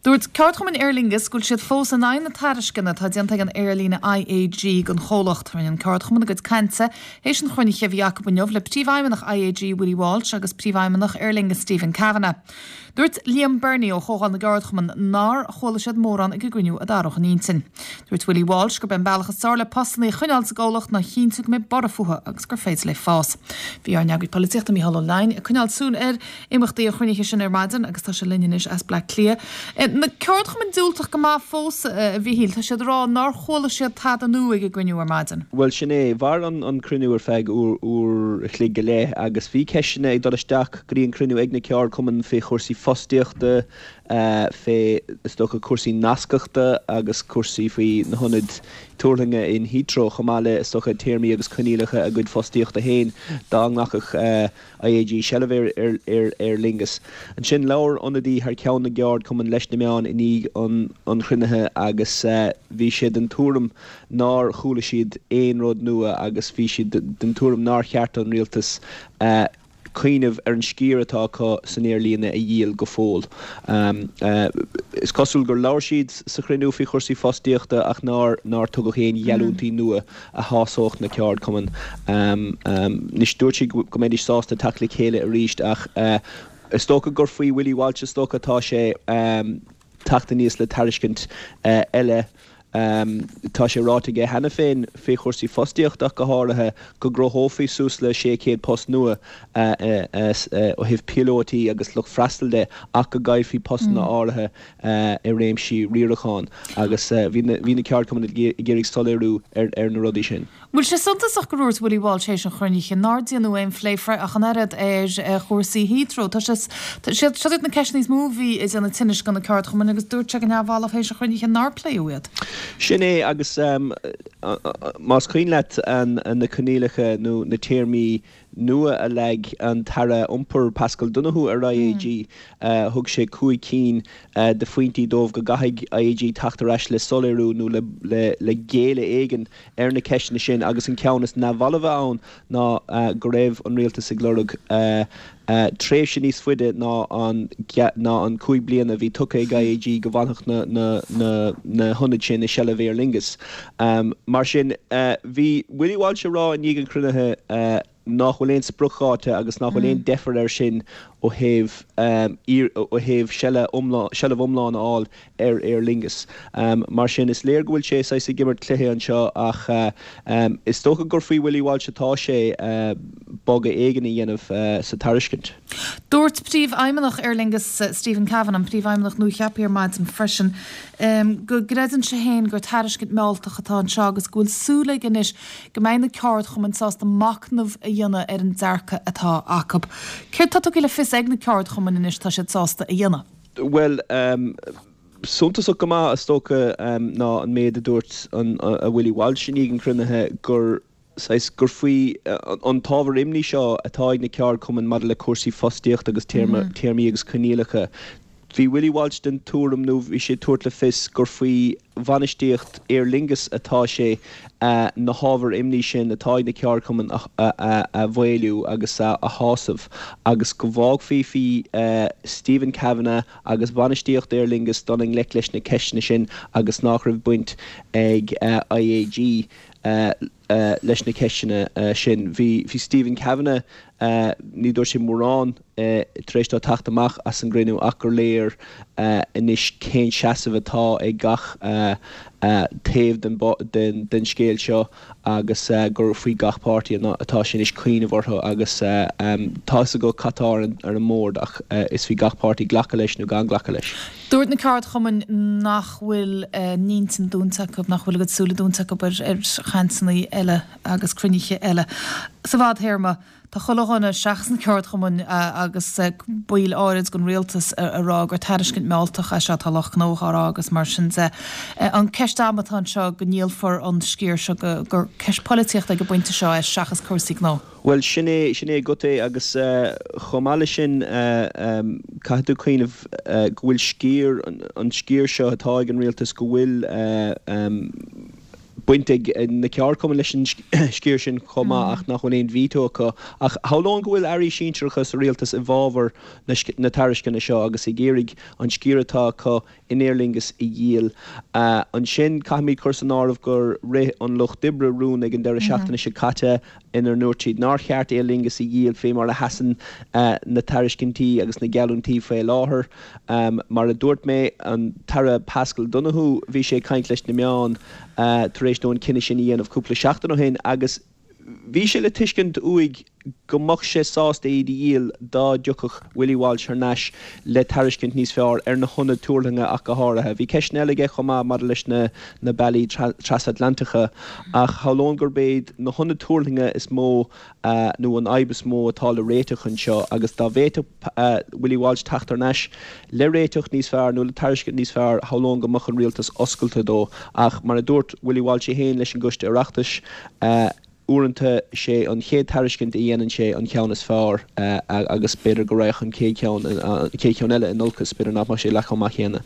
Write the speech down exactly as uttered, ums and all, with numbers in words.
Dúirt ceardchumann Aer Lingus go bhfuil siad fós in aghaidh na tairisceana atá déanta ag an aerlíne IAG don chomhlacht rinne an ceardchumann a gcuid cainte théis an chruinnithe a bhí acu inniu le príomhfheidhmeannach IAG Willie Walsh agus príomhfheidhmeannach Aer Lingus Stephen Kavanagh. Dúirt Liam Bernie ó Chomhdháil na gCeardchumann nár chuala siad mórán ag an gcruinniú a d'athródh a n-intinn. Dúirt Willie Walsh gurb é an bealach is fearr le postanna a choinneáil sa gcomhlacht ná cinntiú go mbeidh borradh fúthu agus gur féidir leo fás. Bhí ár n-eagraí polaitíochta Mícheál Ó Leidhin ag coinneáil súil ar imeachtaí an chruinnithe sin ar maidin agus tá sé linn anois as Bleá Cliath. Na ceardchumainn diúltach go maith fós a Mhíchíl tá siad ag rá nár chuala siad tada nua ag an gcruinniú ar maidin. Well sin é mhair an an cruinniú ar feadh uair a chloig go leith agus bhí ceisteanna ag dul isteach go dtí an cruinniú ag na ceardchumainn fé chúrsaí fostaíochta fé is dócha cúrsaí nascachta agus cúrsaí faoi na hionaid tuirlinge in Heathrow chomh maith le is dócha téarmaí agus coinníollacha a gcuid fostaíochta féin dá nglacfadh IAG seilbh ar ar ar Aer Lingus. Ansin labhair ionadaí thar ceann na gceardchumann leis na meáin i ndiaidh an an chruinnithe agus bhí sé den tuairim nár chuala siad aon rud nua agus bhí siad den tuairim nár cheart an rialtas cuimhneamh ar an sciar atá acu san aerlíne a dhíol go fóill. Um, uh, is cosúil gur labhair siad sa chruinniú faoi chúrsaí fostaíochta ach nár nár tugadh aon gheallúintí nua a shásódh na ceardchumainn. Um, um, Anois dúirt siad go mbeidís sásta teacht le chéile arís ach uh, is dócha gur faoi Willie Walsh is dócha tá sé um, teacht aníos le tairiscint uh, eile Um, tá sé ráite aige cheana féin fé chúrsaí fostaíochta go háirithe go gcruthófaí suas le sé chéad post nua uh, uh, uh, ó thaobh píolótaí agus lucht freastail de ach go gcaillfí postanna mm. áirithe uh, i réimsí riaracháin agus uh, bhí na ceardchumainn ag iarraidh soiléiriú ar, ar na rudaí sin. Bhfuil sé suntasach gur dúirt Willie Walsh théis an chruinnithe nár déanadh aon phlé ach an oiread ar chúrsaí Heathrow Tá sé siad na ceisteanna is mó a bhí ag déanamh tinnis do na ceardchumainn agus dúirt sé go neamhbhalbh théis an chruinnithe nár pléadh iad. Sin é agus um, más cuimhin leat an, an na coinníollacha nó na téarmaí nua a leag an tAire Iompair Pascal Donohoe ar IAG mm. uh, thug sé cúig cinn uh, de phointí dóibh go gcaithfidh IAG teacht ar ais le soiléiriú nó le, le, le géilleadh éigin ar na ceisteanna sin agus an ceann is neamhbhalbhe ann ná uh, go raibh an rialtas ag lorg uh, uh, tréimhse níos faide ná an ná an cúig bliana bhí tugtha ag IAG go bhfanfadh na, na, na, na hionaid sin i seilbh Aer Lingus. Um, mar sin uh, bhí Willie Walsh ag rá i ndiaidh an chruinnithe uh, nach bhfuil aon spriocdháta agus nach bhfuil aon mm. deifir air sin ó thaobh um, ó thaobh seilbh iomlán a fháil ar Aer Lingus. Um, mar sin is léir go bhfuil sé saghas ag imirt cluiche anseo ach uh, um, is dócha gur faoi Willie Walsh atá sé uh, bogadh éigin a dhéanamh uh, sa tairiscint. Dúirt príomhfheidhmeannach Aer Lingus uh, Stephen Kavanagh an príomhfheidhmeannach nuacheaptha ar maidin freisin um, go gcreideann sé féin gur tairiscint mealltach atá anseo agus go bhfuil súil aige anois go mbeidh na ceardchumainn sásta machnamh a dhéanamh ar an dearcadh atá acu. Céard tá tugtha le fios ag na ceardchumainn anois tá siad sásta a dhéanamh? Well um, suntasach go maith is dócha um, ná an méid a dúirt an a Willie Walsh i ndiaidh an chruinnithe gur saghas gur faoi an t-ábhar imní seo atá ag na ceardchumainn maidir le cúrsaí fostaíocht agus téarmaí mm. agus coinníollacha. Bhí Willie Walsh den tuairim nó bhí sé ag tabhairt le fios gur faoi bhainistíocht Aer Lingus atá sé uh, na hábhair imní sin atá ag na ceardchumainn a, a, a, a mhaolú agus a, a shásamh agus go bhfágfaí faoi uh, Stephen Kavanagh agus bhainistíocht Aer Lingus dul i ngleic leis na ceisteanna sin agus nach raibh baint ag uh, IAG uh, uh, leis na ceisteanna uh, sin. Bhí bhí Stephen Kavanagh uh, ní dúirt sé mórán uh, tar éis dó teacht amach as an gcruinniú ach gur léir uh, anois cén seasamh atá ag gach uh, uh, taobh den, den, den scéal seo agus uh, gur faoi gach páirtí atá sin is cuimhneamh orthu agus uh, um, tá go cad atá ar an mbord ach uh, is faoi gach páirtí glacadh leis nó gan glacadh leis. Dúirt na ceardchumainn nach bhfuil uh, n-intinn dúnta acu nach bhfuil a gcuid súile dúnta acu ar ar chainteanna eile agus cruinnithe eile. Sa bhfadtéarma Tá chuile dhuine seachas na ceardchumainn agus baill áirid den rialtas ag rá gur tairiscint mealltach é seo tá lucht gnó á rá agus mar sin de. An ceist ama atá anseo go ndíolfar an sciar seo gur ceist polaitíochta ag an bpointe seo é seachas cúrsaí gnó. Well sin é sin é go é agus uh, chomh maith leis sin uh, um, caithfidh tú cuimhneamh uh, go bhfuil sciar an, an sciar seo atá ag an rialtas go bhfuil uh, um, baint ag na ceardchumainn leis an sciar sin chomh maith ach nach bhfuil aon veto acu. Ach shamhlóinn go bhfuil airí sinsearacha sa rialtas i bhfabhar na tairisceana seo agus ag iarraidh an sciar atá acu in Aer Lingus a dhíol. Ansin caithfimid cur san áireamh gur rith an Lucht Oibre rún ag an deireadh seachtaine seo caite inar ndúirt siad nár cheart Aer Lingus a dhíol fé mar a sheasann na tairiscintí agus na geallúintí faoi láthair. Mar a dúirt mé, an tAire Paschal Donohoe, bhí sé ag caint leis na meáin tar éis dó an cinneadh sin a dhéanamh cúpla seachtain ó shin agus bhí sé le tuiscint uaidh go mbeadh sé sásta iad a dhíol dá dtiocfadh Willie Walsh thar n-ais le tairiscint níos fearr ar na hionaid tuirlinge ach go háirithe. Bhí ceisteanna eile aige chomh maith maidir leis na na bealaí trasatlantacha ach shamhlóinn gurb iad na hionaid tuirlinge is mó nó an fhadhb is mó atá le réiteach anseo agus dá bhféadfadh Willie Walsh teacht thar n-ais le réiteach níos fearr nó le tairiscint níos fearr shamhlóinn go mbeadh an rialtas oscailte dó ach mar a dúirt Willie Walsh é féin leis an gCoiste Oireachtais, Uaireanta, sé an chéad tairiscint a dhéanann sé an ceann is fearr agus b'fhéidir go raghadh an chéad cheann, an chéad cheann eile in olcas, b'fhéidir nach mbeadh sé leath chomh maith céanna.